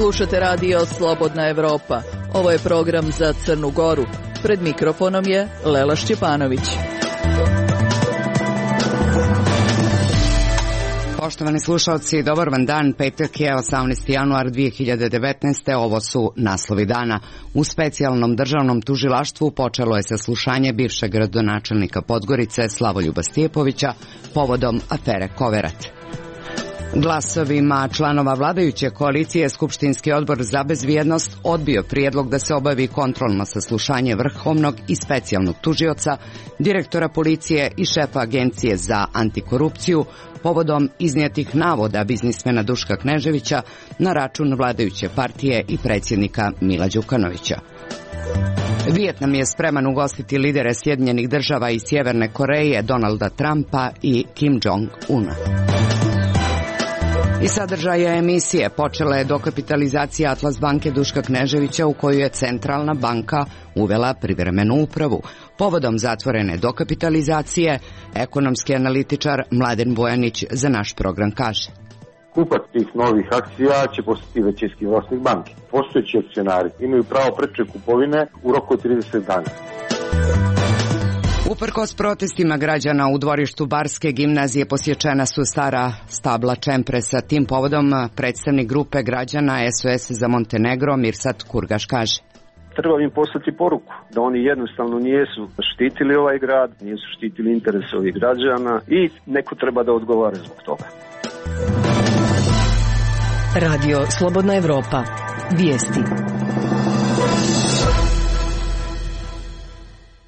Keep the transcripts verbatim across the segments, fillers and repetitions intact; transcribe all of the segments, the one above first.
Slušate radio Slobodna Evropa. Ovo je program za Crnu Goru. Pred mikrofonom je Lela Šćepanović. Poštovani slušalci, dobar vam dan. Petak je osamnaesti januar dve hiljade devetnaeste. Ovo su naslovi dana. U specijalnom državnom tužilaštvu počelo je saslušanje bivšeg gradonačelnika Podgorice Slavoljuba Stjepovića povodom afere Koverat. Glasovima članova vladajuće koalicije Skupštinski odbor za bezbjednost odbio prijedlog da se obavi kontrolno saslušanje vrhovnog i specijalnog tužioca, direktora policije i šefa Agencije za antikorupciju povodom iznijetih navoda biznismena Duška Kneževića na račun vladajuće partije i predsjednika Mila Đukanovića. Vijetnam je spreman ugostiti lidere Sjedinjenih država i Sjeverne Koreje, Donalda Trumpa i Kim Jong-una. I sadržaja emisije počela je dokapitalizacija Atlas banke Duška Kneževića u koju je Centralna banka uvela privremenu upravu. Povodom zatvorene dokapitalizacije, ekonomski analitičar Mladen Bojanić za naš program kaže: Kupac tih novih akcija će postati većinski vlasnik banke. Postojeći akcionari imaju pravo preče kupovine u roku od trideset dana. Uprkos protestima građana u dvorištu Barske gimnazije posječena su stara stabla čempresa. Tim povodom predstavnik grupe građana S O S za Montenegro Mirsad Kurgaš kaže: Treba im poslati poruku da oni jednostavno nijesu štitili ovaj grad, nijesu štitili interese ovih građana i neko treba da odgovara zbog toga. Radio Slobodna Evropa. Vijesti.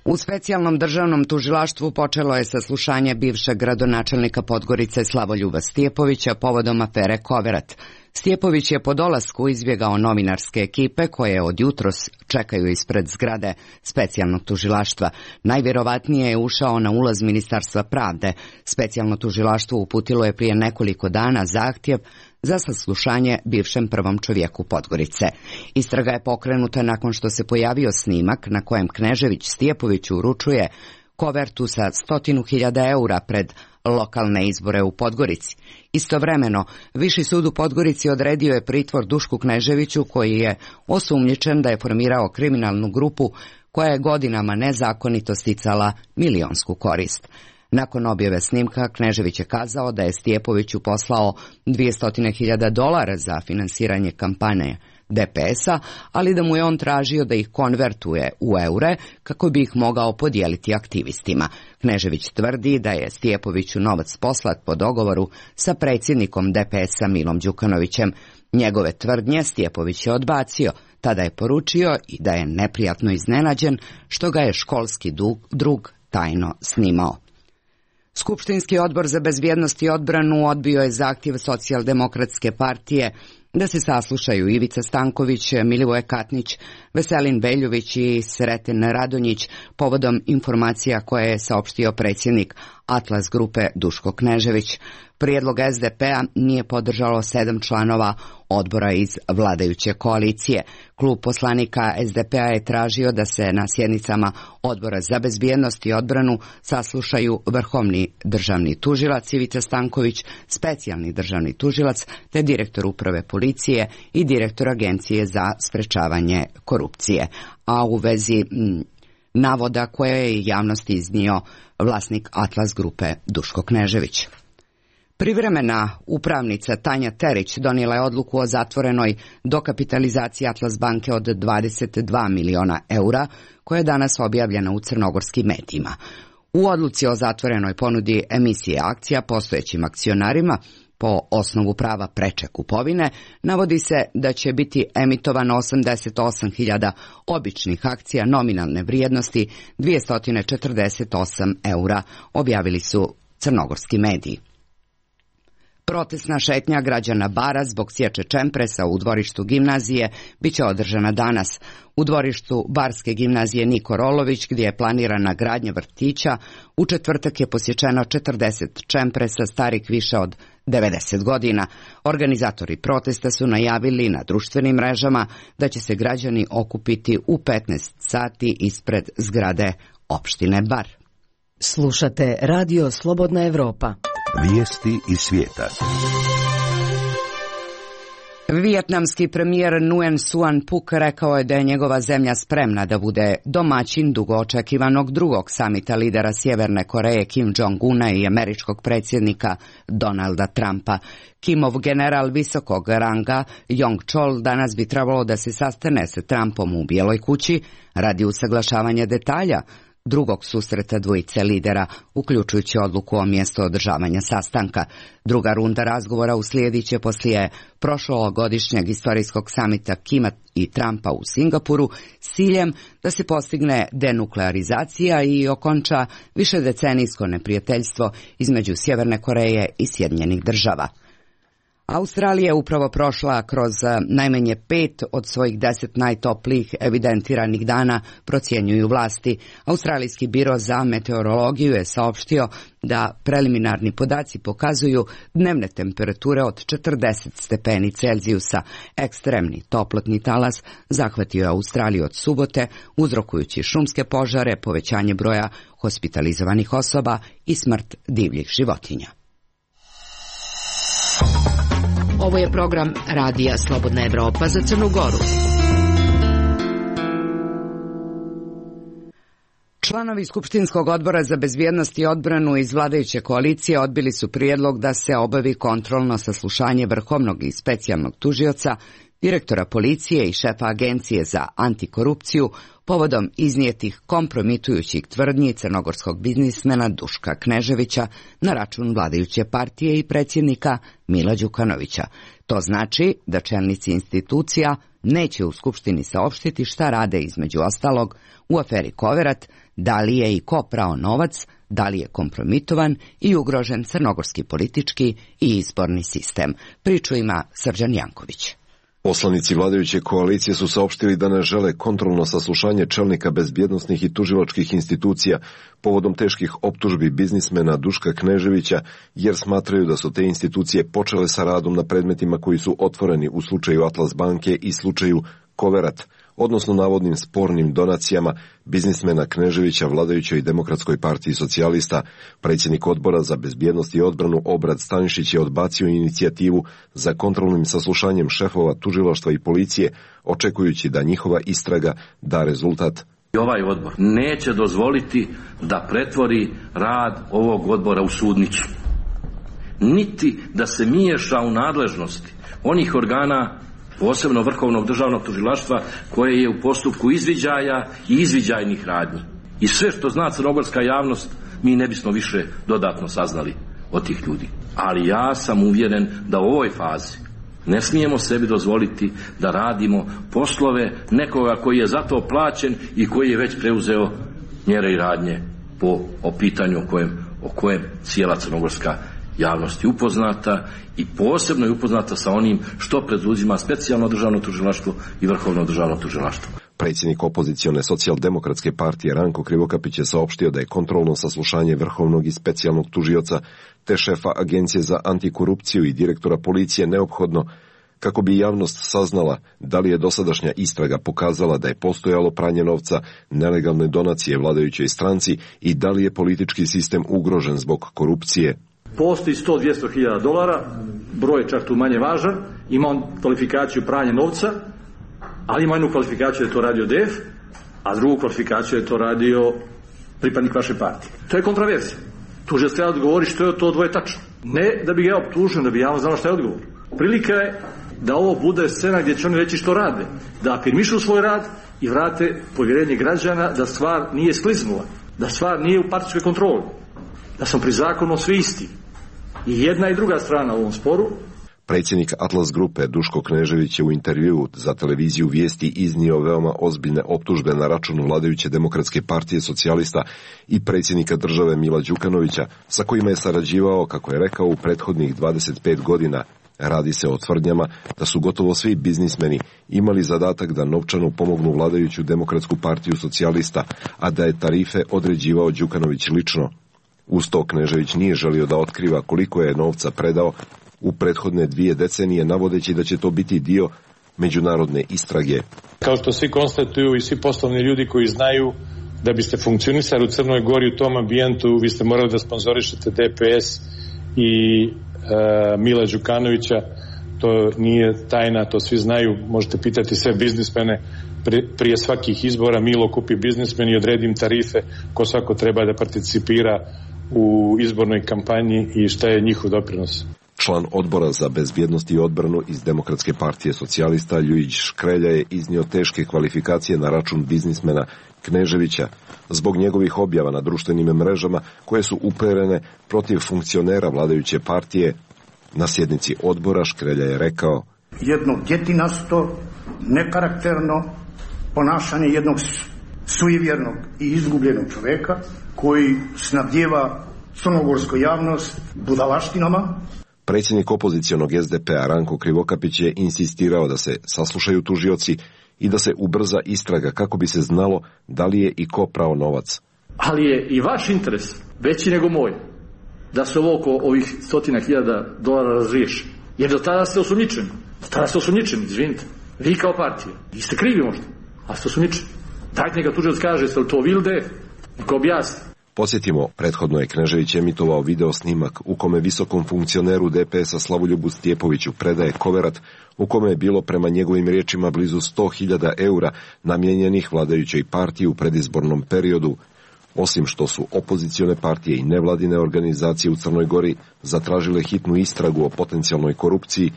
U specijalnom državnom tužilaštvu počelo je saslušanje bivšeg gradonačelnika Podgorice Slavoljuba Stjepovića povodom afere Koverat. Stjepović je po dolasku izbjegao novinarske ekipe koje od jutros čekaju ispred zgrade specijalnog tužilaštva. Najvjerovatnije je ušao na ulaz Ministarstva pravde. Specijalno tužilaštvo uputilo je prije nekoliko dana zahtjev za saslušanje bivšem prvom čovjeku Podgorice. Istraga je pokrenuta nakon što se pojavio snimak na kojem Knežević Stjepoviću uručuje kovertu sa stotinu hiljada eura pred lokalne izbore u Podgorici. Istovremeno, Viši sud u Podgorici odredio je pritvor Dušku Kneževiću koji je osumnjičen da je formirao kriminalnu grupu koja je godinama nezakonito sticala milionsku korist. Nakon objave snimka, Knežević je kazao da je Stjepoviću poslao dvjesto hiljada dolara za finansiranje kampanje D P S-a, ali da mu je on tražio da ih konvertuje u eure kako bi ih mogao podijeliti aktivistima. Knežević tvrdi da je Stjepoviću novac poslat po dogovoru sa predsjednikom D P S-a Milom Đukanovićem. Njegove tvrdnje Stjepović je odbacio, tada je poručio i da je neprijatno iznenađen što ga je školski drug tajno snimao. Skupštinski odbor za bezbjednost i odbranu odbio je zahtjev Socijaldemokratske partije da se saslušaju Ivica Stanković, Milivoje Katnić, Veselin Beljović i Sreten Radonjić povodom informacija koje je saopštio predsjednik Atlas grupe Duško Knežević. Prijedlog S D P-a nije podržalo sedam članova odbora iz vladajuće koalicije. Klub poslanika S D P-a je tražio da se na sjednicama odbora za bezbjednost i odbranu saslušaju vrhovni državni tužilac Ivica Stanković, specijalni državni tužilac te direktor uprave policije i direktor Agencije za sprečavanje korupcije. A u vezi m, navoda koje je javnosti iznio vlasnik Atlas grupe Duško Knežević. Privremena upravnica Tanja Terić donijela je odluku o zatvorenoj dokapitalizaciji Atlas banke od dvadeset dva miliona eura, koja je danas objavljena u crnogorskim medijima. U odluci o zatvorenoj ponudi emisije akcija postojećim akcionarima po osnovu prava preče kupovine navodi se da će biti emitovano osamdeset osam hiljada običnih akcija nominalne vrijednosti dvjesto četrdeset osam eura, objavili su crnogorski mediji. Protestna šetnja građana Bara zbog sječe čempresa u dvorištu gimnazije biće održana danas. U dvorištu Barske gimnazije Niko Rolović, gdje je planirana gradnja vrtića, u četvrtak je posječeno četrdeset čempresa starih više od devedeset godina. Organizatori protesta su najavili na društvenim mrežama da će se građani okupiti u petnaest sati ispred zgrade opštine Bar. Slušate Radio Slobodna Evropa. Vijesti iz svijeta. Vijetnamski premijer Nguyen Xuan Phuc rekao je da je njegova zemlja spremna da bude domaćin dugo očekivanog drugog samita lidera Sjeverne Koreje Kim Jong-una i američkog predsjednika Donalda Trumpa. Kimov general visokog ranga Yong Chol danas bi trebalo da se sastane sa Trumpom u Bijeloj kući radi usaglašavanja detalja drugog susreta dvojice lidera, uključujući odluku o mjestu održavanja sastanka. Druga runda razgovora uslijedit će poslije prošlogodišnjeg istorijskog samita Kima i Trumpa u Singapuru s ciljem da se postigne denuklearizacija i okonča višedecenijsko neprijateljstvo između Sjeverne Koreje i Sjedinjenih Država. Australija je upravo prošla kroz najmanje pet od svojih deset najtoplijih evidentiranih dana, procjenjuju vlasti. Australijski biro za meteorologiju je saopštio da preliminarni podaci pokazuju dnevne temperature od četrdeset stepeni Celzijusa. Ekstremni toplotni talas zahvatio je Australiju od subote, uzrokujući šumske požare, povećanje broja hospitalizovanih osoba i smrt divljih životinja. Ovo je program Radija Slobodna Evropa za Crnu Goru. Članovi Skupštinskog odbora za bezbjednost i odbranu iz vladajuće koalicije odbili su prijedlog da se obavi kontrolno saslušanje vrhovnog i specijalnog tužioca, direktora policije i šefa agencije za antikorupciju povodom iznijetih kompromitujućih tvrdnji crnogorskog biznismena Duška Kneževića na račun vladajuće partije i predsjednika Mila Đukanovića. To znači da čelnici institucija neće u Skupštini saopštiti šta rade između ostalog u aferi Koverat, da li je i ko prao novac, da li je kompromitovan i ugrožen crnogorski politički i izborni sistem. Priču ima Srđan Janković. Poslanici vladajuće koalicije su saopštili da ne žele kontrolno saslušanje čelnika bezbjednosnih i tužilačkih institucija povodom teških optužbi biznismena Duška Kneževića, jer smatraju da su te institucije počele sa radom na predmetima koji su otvoreni u slučaju Atlas banke i slučaju Koverat, odnosno navodnim spornim donacijama biznismena Kneževića vladajućoj Demokratskoj partiji socijalista. Predsjednik odbora za bezbjednost i odbranu Obrad Stanišić je odbacio inicijativu za kontrolnim saslušanjem šefova tužilaštva i policije, očekujući da njihova istraga da rezultat. Ovaj odbor neće dozvoliti da pretvori rad ovog odbora u sudnicu, niti da se miješa u nadležnosti onih organa, posebno Vrhovnog državnog tužilaštva, koje je u postupku izviđaja i izviđajnih radnji. I sve što zna crnogorska javnost, mi ne bismo više dodatno saznali od tih ljudi. Ali ja sam uvjeren da u ovoj fazi ne smijemo sebi dozvoliti da radimo poslove nekoga koji je za to plaćen i koji je već preuzeo mjere i radnje po o pitanju o kojem, o kojem cijela crnogorska javnost je upoznata i posebno je upoznata sa onim što preduzima specijalno državno tužilaštvo i Vrhovno državno tužilaštvo. Predsjednik opozicione socijaldemokratske partije Ranko Krivokapić je saopštio da je kontrolno saslušanje vrhovnog i specijalnog tužioca te šefa agencije za antikorupciju i direktora policije neophodno kako bi javnost saznala da li je dosadašnja istraga pokazala da je postojalo pranje novca, nelegalne donacije vladajućoj stranci i da li je politički sistem ugrožen zbog korupcije. Postoji sto do dvjesto hiljada dolara, broj je čak tu manje važan, ima on kvalifikaciju pranja novca, ali ima jednu kvalifikaciju da je to radio D E F, a drugu kvalifikaciju da je to radio pripadnik vaše partije. To je kontraverzija. Tužilac treba odgovori što je to dvoje tačno. Ne da bi ga optužio, da bi javno znao šta je odgovor. Prilika je da ovo bude scena gdje će oni reći što rade, da afirmišu svoj rad i vrate povjerenje građana da stvar nije skliznula, da stvar nije u partijskoj kontroli, da smo pri zakonu svi isti. I jedna i druga strana u ovom sporu. Predsjednik Atlas grupe Duško Knežević je u intervjuu za televiziju Vijesti iznio veoma ozbiljne optužbe na račun vladajuće Demokratske partije socijalista i predsjednika države Mila Đukanovića, sa kojima je sarađivao, kako je rekao, u prethodnih dvadeset pet godina. Radi se o tvrdnjama da su gotovo svi biznismeni imali zadatak da novčano pomognu vladajuću Demokratsku partiju socijalista, a da je tarife određivao Đukanović lično. Uz to Knežević nije želio da otkriva koliko je novca predao u prethodne dvije decenije, navodeći da će to biti dio međunarodne istrage. Kao što svi konstatuju i svi poslovni ljudi koji znaju, da biste funkcionisali u Crnoj Gori u tom ambijentu, vi ste morali da sponzorišete D P S i e, Mila Đukanovića. to nije tajna, to svi znaju, možete pitati sve biznismene prije svakih izbora. Milo kupi biznismen i odredi im tarife ko svako treba da participira u izbornoj kampanji i šta je njihov doprinos. Član odbora za bezbjednost i odbranu iz Demokratske partije socijalista Ljujić Škrelja je iznio teške kvalifikacije na račun biznismena Kneževića zbog njegovih objava na društvenim mrežama koje su uperene protiv funkcionera vladajuće partije. Na sjednici odbora Škrelja je rekao: jedno djetinasto, nekarakterno ponašanje jednog suivjernog i izgubljenog čovjeka koji snabdijeva crnogorsku javnost budalaštinama. Predsjednik opozicionog es de pe-a Ranko Krivokapić je insistirao da se saslušaju tužioci i da se ubrza istraga kako bi se znalo da li je i ko prao novac. Ali je i vaš interes veći nego moj da se ovo oko ovih stotina hiljada dolara razriješi. Jer do tada ste osumnjičeni. Do tada ste osumnjičeni, izvinite. Vi kao partija. Vi ste krivi možda, a ste osumnjičeni. Dajte neka tužilac kaže, jeste li to vi ili de ef? Neka objasni. Podsjetimo, prethodno je Knežević emitovao video snimak u kome visokom funkcioneru de pe es-a Slavoljubu Stjepoviću predaje koverat u kome je bilo prema njegovim riječima blizu sto hiljada eura namijenjenih vladajućoj partiji u predizbornom periodu. Osim što su opozicione partije i nevladine organizacije u Crnoj Gori zatražile hitnu istragu o potencijalnoj korupciji,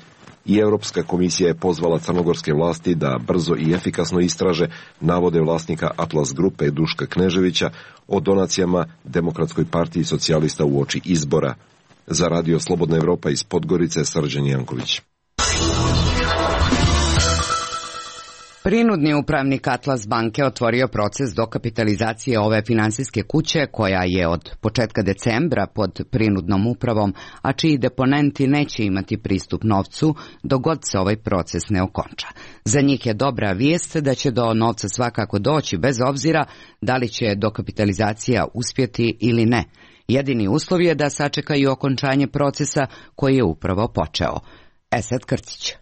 i Europska komisija je pozvala crnogorske vlasti da brzo i efikasno istraže navode vlasnika Atlas grupe Duška Kneževića o donacijama Demokratskoj partiji socijalista uoči izbora. Za Radio Slobodna Evropa iz Podgorice, Srđan Janković. Prinudni upravnik Atlas banke otvorio proces dokapitalizacije ove finansijske kuće koja je od početka decembra pod prinudnom upravom, a čiji deponenti neće imati pristup novcu dok god se ovaj proces ne okonča. Za njih je dobra vijest da će do novca svakako doći bez obzira da li će dokapitalizacija uspjeti ili ne. Jedini uslov je da sačekaju okončanje procesa koji je upravo počeo. Esad Krcić.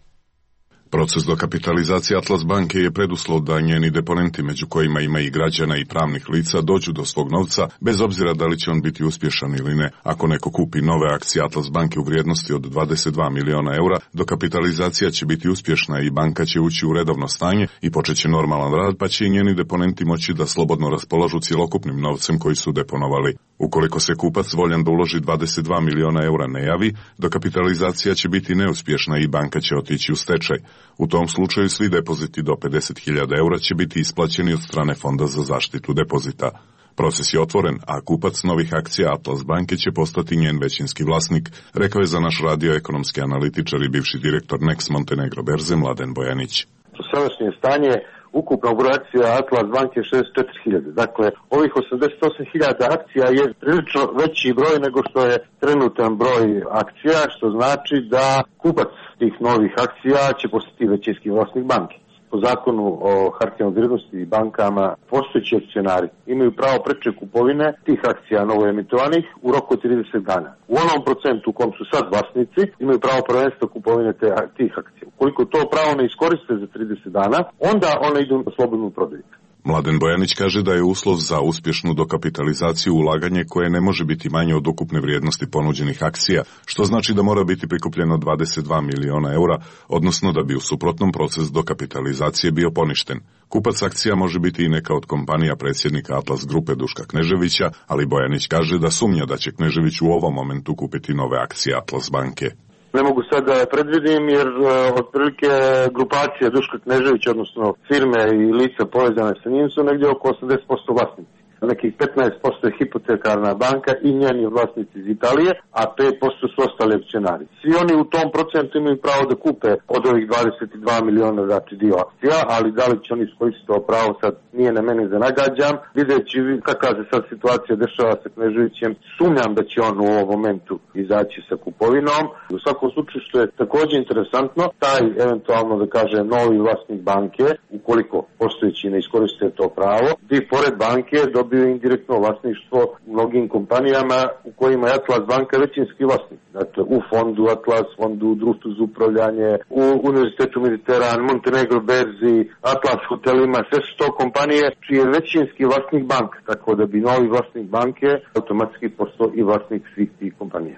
Proces dokapitalizacije Atlas banke je preduslov da njeni deponenti, među kojima ima i građana i pravnih lica, dođu do svog novca, bez obzira da li će on biti uspješan ili ne. Ako neko kupi nove akcije Atlas banke u vrijednosti od dvadeset dva miliona eura, dokapitalizacija će biti uspješna i banka će ući u redovno stanje i počet će normalan rad, pa će i njeni deponenti moći da slobodno raspolažu cjelokupnim novcem koji su deponovali. Ukoliko se kupac voljan da uloži dvadeset dva miliona eura ne javi, dokapitalizacija će biti neuspješna i banka će otići u stečaj. U tom slučaju svi depoziti do pedeset hiljada eura će biti isplaćeni od strane Fonda za zaštitu depozita. Proces je otvoren, a kupac novih akcija Atlas banke će postati njen većinski vlasnik, rekao je za naš radio ekonomski analitičar i bivši direktor Nex Montenegro berze Mladen Bojanić. Sadašnje stanje ukupnog broja akcija Atlas banke je šezdeset četiri hiljade. Dakle, ovih osamdeset osam hiljada akcija je prilično veći broj nego što je trenutan broj akcija, što znači da kupac tih novih akcija će postati većinski vlasnik banke. Po zakonu o hartijama od vrijednosti i bankama postojeći akcionari imaju pravo preče kupovine tih akcija novoemitovanih u roku od trideset dana. U onom procentu u kom su sad vlasnici imaju pravo prvenstva kupovine te, tih akcija. Ukoliko to pravo ne iskoriste za trideset dana, onda one idu na slobodnu prodaju. Mladen Bojanić kaže da je uslov za uspješnu dokapitalizaciju ulaganje koje ne može biti manje od ukupne vrijednosti ponuđenih akcija, što znači da mora biti prikupljeno dvadeset dva miliona eura, odnosno da bi u suprotnom proces dokapitalizacije bio poništen. Kupac akcija može biti i neka od kompanija predsjednika Atlas grupe Duška Kneževića, ali Bojanić kaže da sumnja da će Knežević u ovom momentu kupiti nove akcije Atlas banke. Ne mogu sad da predvidim jer uh, otprilike grupacija Duška Kneževića, odnosno firme i lica povezane sa njim su negdje oko osamdeset posto vlasnici. Nekih petnaest posto je hipotekarna banka i njeni vlasnici iz Italije, a pet posto su ostali akcionari. Svi oni u tom procentu imaju pravo da kupe od ovih dvadeset dva miliona znači dio akcija, ali da li će oni iskoristiti to pravo sad nije na meni da nagađam. Videći kakva se sad situacija dešava sa Kneževićem, sumnjam da će on u ovom momentu izaći sa kupovinom. U svakom slučaju što je također interesantno, taj eventualno da kaže novi vlasnik banke, ukoliko postojeći ne iskoriste to pravo, bi pored banke dobio indirektno vlasništvo u mnogim kompanijama u kojima je Atlas banka većinski vlasnik. Dakle, u fondu Atlas, fondu društvu za upravljanje, u Univerzitetu Mediteran, Montenegro berzi, Atlas hotelima, sve su to kompanije čiji je većinski vlasnik banka, tako da bi novi vlasnik banke automatski postao i vlasnik svih tih kompanija.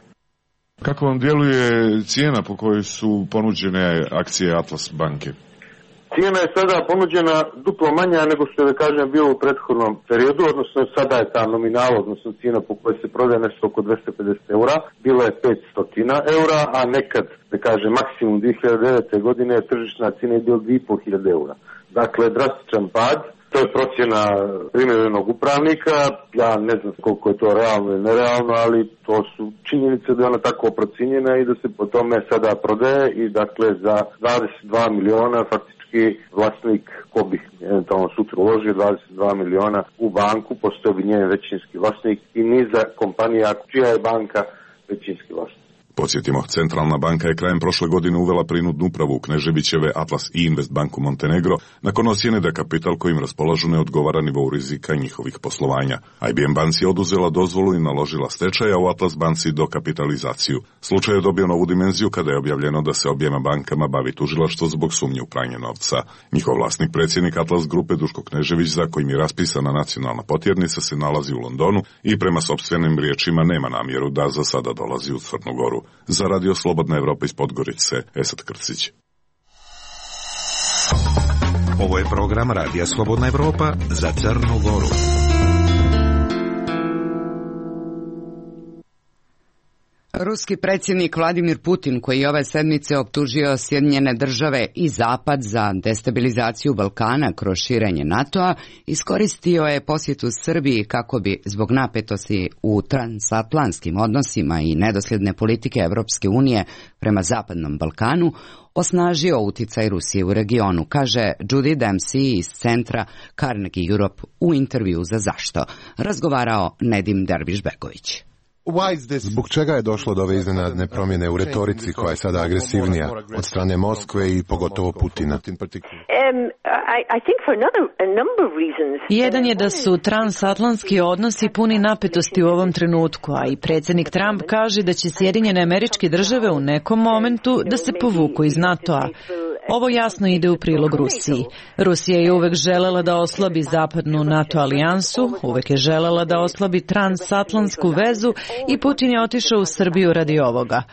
Kako vam djeluje cijena po kojoj su ponuđene akcije Atlas banke? Cijena je sada ponuđena duplo manja nego što je, da kažem, bilo u prethodnom periodu, odnosno sada je ta nominal, odnosno cijena po kojoj se prodaje nešto oko dvesta pedeset eura, bila je petsto eura, a nekad, da kažem, maksimum dvije hiljade devete. godine tržišna cijena je bila dvije i po hiljade eura. Dakle, drastičan pad. To je procjena primjerenog upravnika, ja ne znam koliko je to realno ili nerealno, ali to su činjenice da je ona tako procijenjena i da se po tome sada prodaje i dakle za dvadeset dva miliona faktički vlasnik, ko bi eventualno sutra uložio dvadeset dva miliona u banku, postao bi njen većinski vlasnik i niza kompanija čija je banka većinski vlasnik. Podsjetimo, Centralna banka je krajem prošle godine uvela prinudnu upravu u Kneževićeve Atlas i Invest banku Montenegro nakon ocjene da kapital kojim raspolažu ne odgovara nivou rizika njihovih poslovanja. I B M banci je oduzela dozvolu i naložila stečaj, a u Atlas banci dokapitalizaciju. Slučaj je dobio novu dimenziju kada je objavljeno da se objema bankama bavi tužilaštvo zbog sumnje u pranje novca. Njihov vlasnik, predsjednik Atlas grupe Duško Knežević, za kojim je raspisana nacionalna potjernica, se nalazi u Londonu i prema sopstvenim riječima nema namjeru da za sada dolazi u Crnu Goru. Za Radio Slobodna Evropa iz Podgorice, Esad Krcić. Ovo je program Radija Slobodna Evropa za Crnu Goru. Ruski predsjednik Vladimir Putin, koji je ove sedmice optužio Sjedinjene države i Zapad za destabilizaciju Balkana kroz širenje NATO-a, iskoristio je posjetu Srbiji kako bi zbog napetosti u transatlantskim odnosima i nedosljedne politike Evropske unije prema Zapadnom Balkanu osnažio uticaj Rusije u regionu, kaže Judy Dempsey iz centra Carnegie Europe u intervju za Zašto. Razgovarao Nedim Derviš-Begović. Zbog čega je došlo do ove iznenadne promjene u retorici koja je sada agresivnija od strane Moskve i pogotovo Putina? Jedan je da su transatlantski odnosi puni napetosti u ovom trenutku, a i predsjednik Trump kaže da će Sjedinjene Američke Države u nekom momentu da se povuku iz NATO-a. Ovo jasno ide u prilog Rusiji. Rusija je uvek želela da oslabi zapadnu NATO alijansu, uvek je želela da oslabi transatlantsku vezu i Putin je otišao u Srbiju radi ovoga.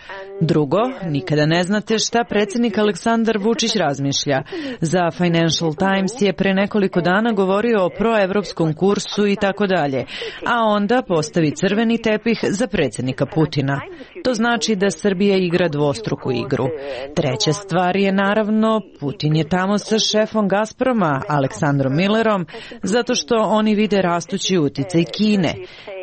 Drugo, nikada ne znate šta predsjednik Aleksandar Vučić razmišlja. Za Financial Times je pre nekoliko dana govorio o proevropskom kursu i tako dalje, a onda postavi crveni tepih za predsjednika Putina. To znači da Srbija igra dvostruku igru. Treća stvar je naravno, Putin je tamo sa šefom Gazproma, Aleksandrom Millerom, zato što oni vide rastući uticaj Kine.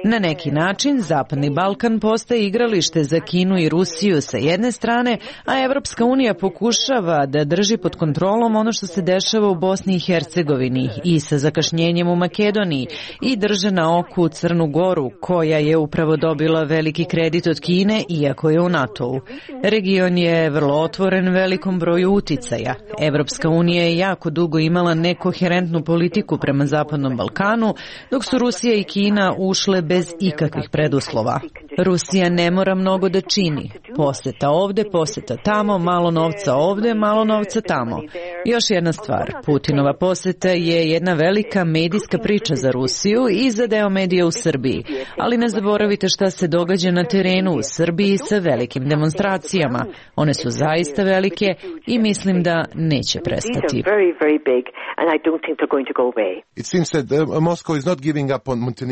Na neki način, Zapadni Balkan postaje igralište za Kinu i Rusiju sa jedne strane, a Evropska unija pokušava da drži pod kontrolom ono što se dešava u Bosni i Hercegovini i sa zakašnjenjem u Makedoniji i drže na oku Crnu Goru, koja je upravo dobila veliki kredit od Kine, iako je u NATO-u. Region je vrlo otvoren velikom broju uticaja. Evropska unija je jako dugo imala nekoherentnu politiku prema Zapadnom Balkanu, dok su Rusija i Kina ušle bez ikakvih preduslova. Rusija ne mora mnogo da čini. Poseta ovde, poseta tamo, malo novca ovde, malo novca tamo. Još jedna stvar, Putinova poseta je jedna velika medijska priča za Rusiju i za deo medija u Srbiji. Ali ne zaboravite šta se događa na terenu u Srbiji sa velikim demonstracijama. One su zaista velike i mislim da neće prestati.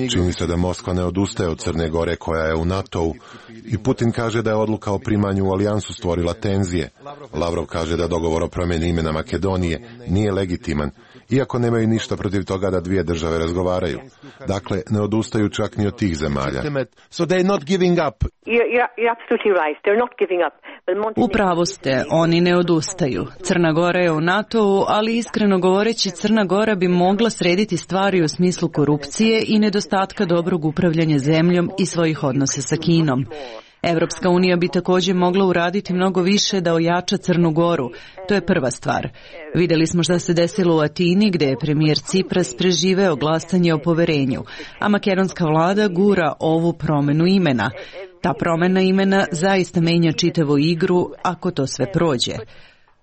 Čini se da Moskva ne odustaje od Crne Gore koja je u NATO-u i Putin kaže da je odluka o primanju u alijansu stvorila tenzije. Lavrov kaže da dogovor o promjeni imena Makedonije nije legitiman, iako nemaju ništa protiv toga da dvije države razgovaraju. Dakle, ne odustaju čak ni od tih zemalja. Upravo ste, oni ne odustaju. Crna Gora je u NATO-u, ali iskreno govoreći Crna Gora bi mogla srediti stvari u smislu korupcije i nedostatka dobrog upravljanja zemljom i svojih odnosa sa Kinom. Evropska unija bi također mogla uraditi mnogo više da ojača Crnu Goru. To je prva stvar. Vidjeli smo šta se desilo u Atini, gdje je premijer Cipras preživeo glasanje o poverenju, a makedonska vlada gura ovu promjenu imena. Ta promjena imena zaista menja čitavu igru ako to sve prođe.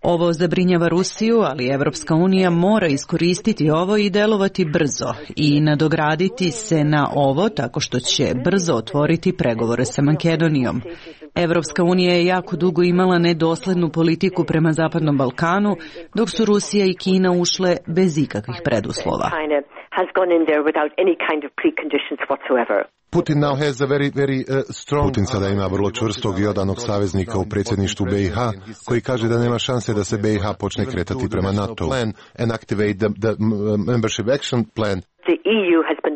Ovo zabrinjava Rusiju, ali Evropska unija mora iskoristiti ovo i delovati brzo i nadograditi se na ovo tako što će brzo otvoriti pregovore sa Makedonijom. Evropska unija je jako dugo imala nedoslednu politiku prema Zapadnom Balkanu, dok su Rusija i Kina ušle bez ikakvih preduslova. Putin now has a very, very, uh, strong... Putin sada ima vrlo čvrstog i odanog saveznika u predsjedništvu B i H, koji kaže da nema šanse da se B i H počne kretati prema NATO and activate the, the membership action plan.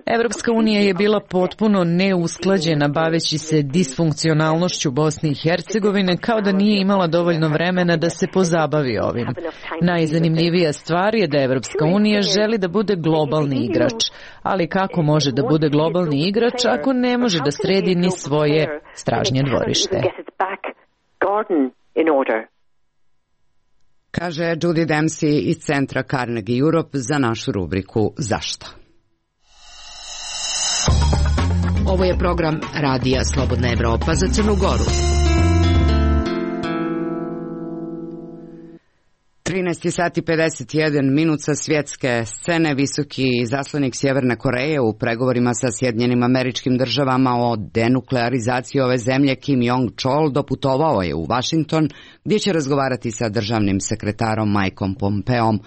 Evropska unija je bila potpuno neusklađena baveći se disfunkcionalnošću Bosne i Hercegovine, kao da nije imala dovoljno vremena da se pozabavi ovim. Najzanimljivija stvar je da Evropska unija želi da bude globalni igrač, ali kako može da bude globalni igrač ako ne može da sredi ni svoje stražnje dvorište? Kaže Judy Dempsey iz centra Carnegie Europe za našu rubriku Zašto? Ovo je program Radija Slobodna Evropa za Crnu Goru. trinaest sati pedeset jedan minut sa svjetske scene. Visoki zaslanik Sjeverne Koreje u pregovorima sa Sjedinjenim Američkim Državama o denuklearizaciji ove zemlje Kim Jong-chol doputovao je u Washington, gdje će razgovarati sa državnim sekretarom Mikeom Pompeom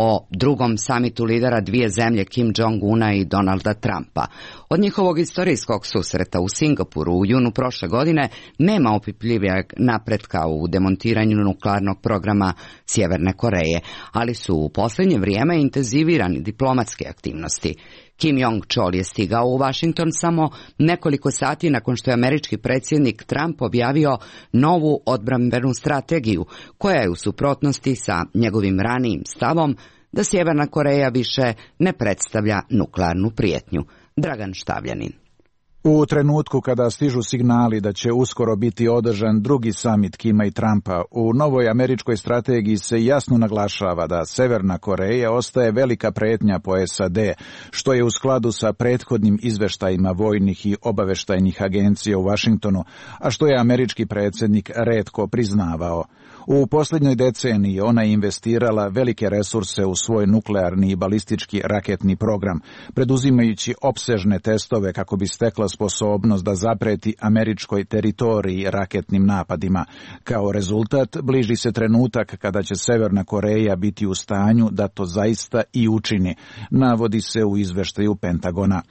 o drugom samitu lidera dvije zemlje Kim Jong-una i Donalda Trumpa. Od njihovog istorijskog susreta u Singapuru u junu prošle godine nema opipljivijeg napretka u demontiranju nuklearnog programa Sjeverne Koreje, ali su u posljednje vrijeme intenzivirani diplomatske aktivnosti. Kim Jong-chol je stigao u Washington samo nekoliko sati nakon što je američki predsjednik Trump objavio novu odbrambenu strategiju, koja je u suprotnosti sa njegovim ranijim stavom da Sjeverna Koreja više ne predstavlja nuklearnu prijetnju. Dragan Štavljanin. U trenutku kada stižu signali da će uskoro biti održan drugi samit Kima i Trumpa, u novoj američkoj strategiji se jasno naglašava da Severna Koreja ostaje velika prijetnja po S A D, što je u skladu sa prethodnim izveštajima vojnih i obaveštajnih agencija u Washingtonu, a što je američki predsjednik retko priznavao. U posljednjoj deceniji ona je investirala velike resurse u svoj nuklearni i balistički raketni program, preduzimajući opsežne testove kako bi stekla sposobnost da zapreti američkoj teritoriji raketnim napadima. Kao rezultat, bliži se trenutak kada će Severna Koreja biti u stanju da to zaista i učini, navodi se u izveštaju Pentagona.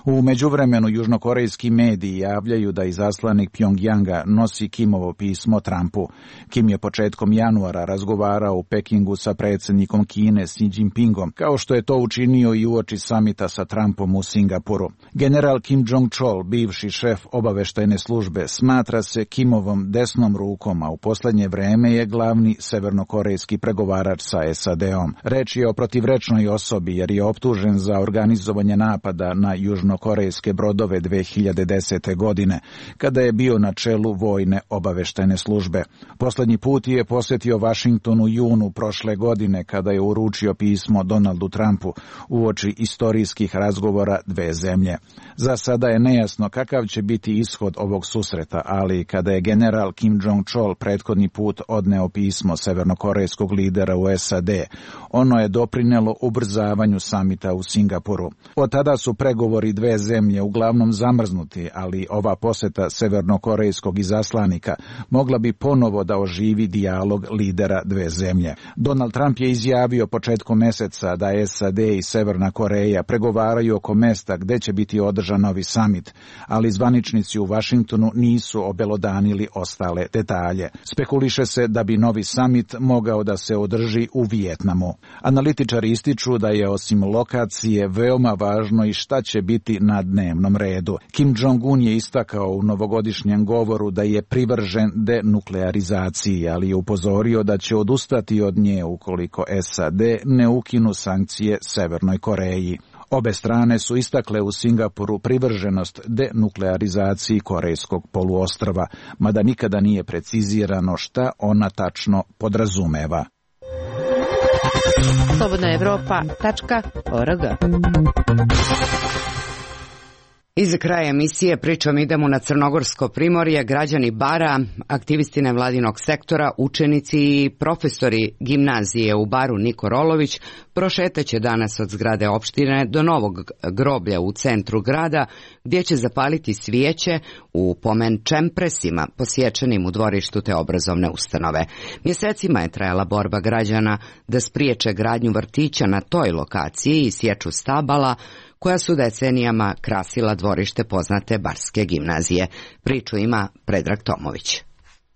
U međuvremenu južnokorejski mediji javljaju da izaslanik Pjongjanga nosi Kimovo pismo Trumpu. Kim je početkom januara razgovarao u Pekingu sa predsjednikom Kine Xi Jinpingom, kao što je to učinio i uoči samita sa Trumpom u Singapuru. General Kim Jong-chol, bivši šef obaveštajne službe, smatra se Kimovom desnom rukom, a u posljednje vreme je glavni severnokorejski pregovarač sa S A D-om. Reč je o protivrečnoj osobi jer je optužen za organizovanje napada na južno korejske brodove dve hiljade desete. godine, kada je bio na čelu vojne obaveštajne službe. Posljednji put je posjetio Washington u junu prošle godine, kada je uručio pismo Donaldu Trumpu uoči istorijskih razgovora dve zemlje. Za sada je nejasno kakav će biti ishod ovog susreta, ali kada je general Kim Jong-chol prethodni put odneo pismo severnokorejskog lidera u S A D, ono je doprinelo ubrzavanju samita u Singapuru. Od tada su pregovori dve zemlje uglavnom zamrznuti, ali ova posjeta severnokorejskog izaslanika mogla bi ponovo da oživi dijalog lidera dve zemlje. Donald Trump je izjavio početkom mjeseca da S A D i Severna Koreja pregovaraju oko mesta gdje će biti održan novi samit, ali zvaničnici u Washingtonu nisu obelodanili ostale detalje. Spekuliše se da bi novi samit mogao da se održi u Vijetnamu. Analitičari ističu da je osim lokacije veoma važno i šta će biti na dnevnom redu. Kim Jong-un je istakao u novogodišnjem govoru da je privržen denuklearizaciji, ali je upozorio da će odustati od nje ukoliko S A D ne ukinu sankcije Severnoj Koreji. Obe strane su istakle u Singapuru privrženost denuklearizaciji Korejskog poluostrva, mada nikada nije precizirano šta ona tačno podrazumeva. slobodna evropa tačka org Iz kraja emisije pričom idemo na Crnogorsko primorje. Građani Bara, aktivisti nevladinog sektora, učenici i profesori gimnazije u Baru Niko Rolović prošetaće danas od zgrade opštine do novog groblja u centru grada, gdje će zapaliti svijeće u pomen čempresima posječenim u dvorištu te obrazovne ustanove. Mjesecima je trajala borba građana da spriječe gradnju vrtića na toj lokaciji i sječu stabala koja su decenijama krasila dvorište poznate Barske gimnazije. Priču ima Predrag Tomović.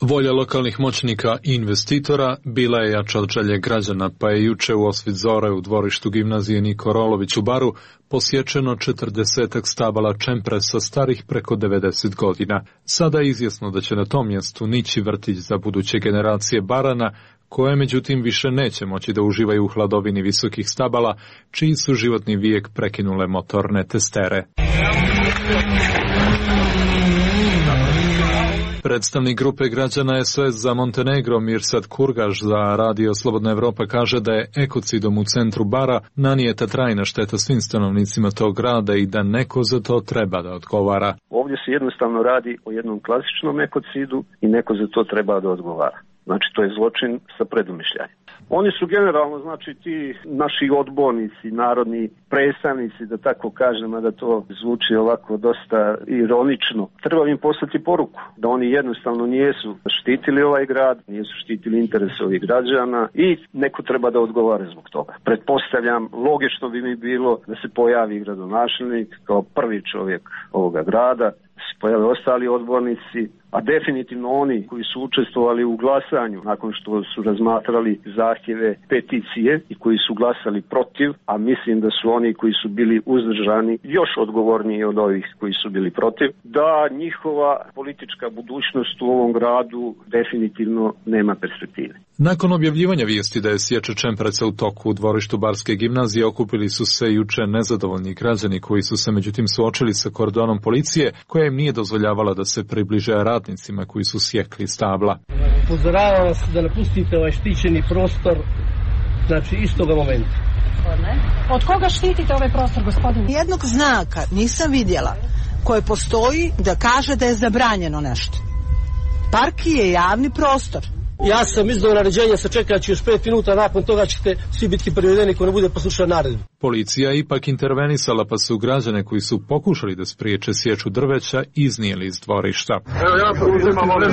Volja lokalnih moćnika i investitora bila je jača od želje građana, pa je juče u osvit zore u dvorištu gimnazije Niko Rolović u Baru posječeno četrdesetak stabala čempresa starih preko devedeset godina. Sada je izjasno da će na tom mjestu nići vrtić za buduće generacije Barana, koje međutim više neće moći da uživaju u hladovini visokih stabala, čiji su životni vijek prekinule motorne testere. Predstavnik grupe građana S O S za Montenegro Mirsad Kurgaš za Radio Slobodna Evropa kaže da je ekocidom u centru Bara nanijeta trajna šteta svim stanovnicima tog grada i da neko za to treba da odgovara. Ovdje se jednostavno radi o jednom klasičnom ekocidu i neko za to treba da odgovara. Znači, to je zločin sa predumišljanjem. Oni su generalno, znači, ti naši odbornici, narodni predstavnici, da tako kažem, a da to zvuči ovako dosta ironično. Treba im poslati poruku da oni jednostavno nijesu štitili ovaj grad, nijesu štitili interese ovih građana i neko treba da odgovara zbog toga. Pretpostavljam, logično bi mi bilo da se pojavi gradonačelnik kao prvi čovjek ovoga grada, da se pojave ostali odbornici, a definitivno oni koji su učestvovali u glasanju nakon što su razmatrali zahtjeve peticije i koji su glasali protiv, a mislim da su oni koji su bili uzdržani još odgovorniji od ovih koji su bili protiv, da njihova politička budućnost u ovom gradu definitivno nema perspektive. Nakon objavljivanja vijesti da je sjeća čempresa u toku u dvorištu Barske gimnazije, okupili su se juče nezadovoljni građani koji su se međutim suočili sa kordonom policije koja im nije dozvoljavala da se približe radnicima koji su sjekli stabla. Upozoravam vas da napustite ovaj štićeni prostor, znači istoga momenta. Od koga štitite ovaj prostor, gospodine? Jednog znaka nisam vidjela koje postoji da kaže da je zabranjeno nešto. Park je javni prostor. Ja sam izdao naređenje, sačekat ću još pet minuta, nakon toga ćete svi biti privedeni ko ne bude poslušao naredbu. Policija je ipak intervenisala, pa su građane koji su pokušali da spriječe sječu drveća iznijeli iz dvorišta. Evo ja preuzimam ove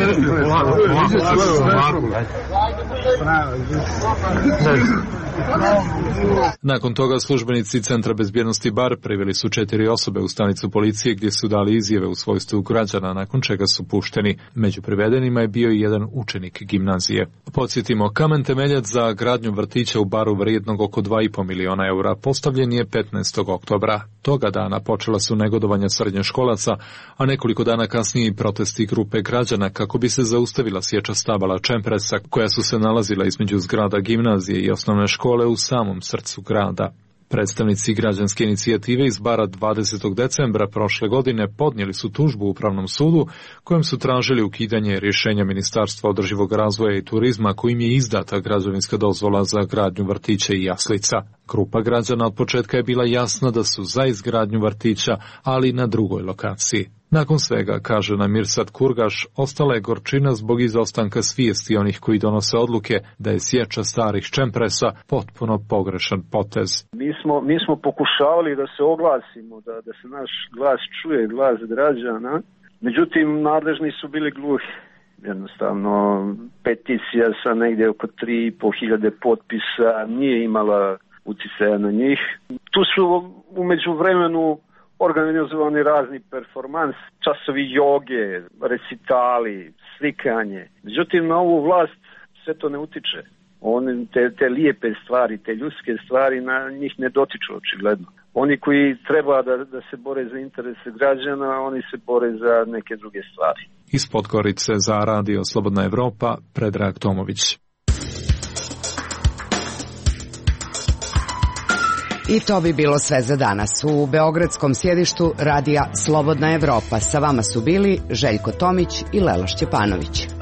Nakon toga službenici Centra bezbjednosti Bar priveli su četiri osobe u stanicu policije gdje su dali izjave u svojstvu građana, nakon čega su pušteni. Među privedenima je bio i jedan učenik gimnazije. Podsjetimo, kamen temeljac za gradnju vrtića u Baru vrijednog oko dva i po miliona eura postavljen je petnaestog oktobra. Toga dana počela su negodovanja srednjoškolaca, a nekoliko dana kasnije i protesti grupe građana kako bi se zaustavila sječa stabala čempresa koja su se nalazila između zgrada gimnazije i osnovne škole u samom srcu grada. Predstavnici građanske inicijative iz Bara dvadesetog decembra prošle godine podnijeli su tužbu u Upravnom sudu kojem su tražili ukidanje rješenja Ministarstva održivog razvoja i turizma kojim je izdata građevinska dozvola za gradnju vrtića i jaslica. Grupa građana od početka je bila jasna da su za izgradnju vrtića, ali na drugoj lokaciji. Nakon svega, kaže nam Mirsad Kurgaš, ostala je gorčina zbog izostanka svijesti onih koji donose odluke da je sječa starih čempresa potpuno pogrešan potez. Mi smo, mi smo pokušavali da se oglasimo, da, da se naš glas čuje, glas građana, međutim nadležni su bili gluhi. Jednostavno, peticija sa negdje oko tri i po hiljade potpisa nije imala utjecaja na njih. Tu su u međuvremenu organizovani razni performans, časovi joge, recitali, slikanje. Međutim, na ovu vlast sve to ne utiče. One, te, te lijepe stvari, te ljudske stvari na njih ne dotiču očigledno. Oni koji treba da, da se bore za interese građana, oni se bore za neke druge stvari. Iz Podgorice za Radio Slobodna Evropa, Predrag Tomović. I to bi bilo sve za danas. U beogradskom sjedištu Radija Slobodna Evropa sa vama su bili Željko Tomić i Lela Šćepanović.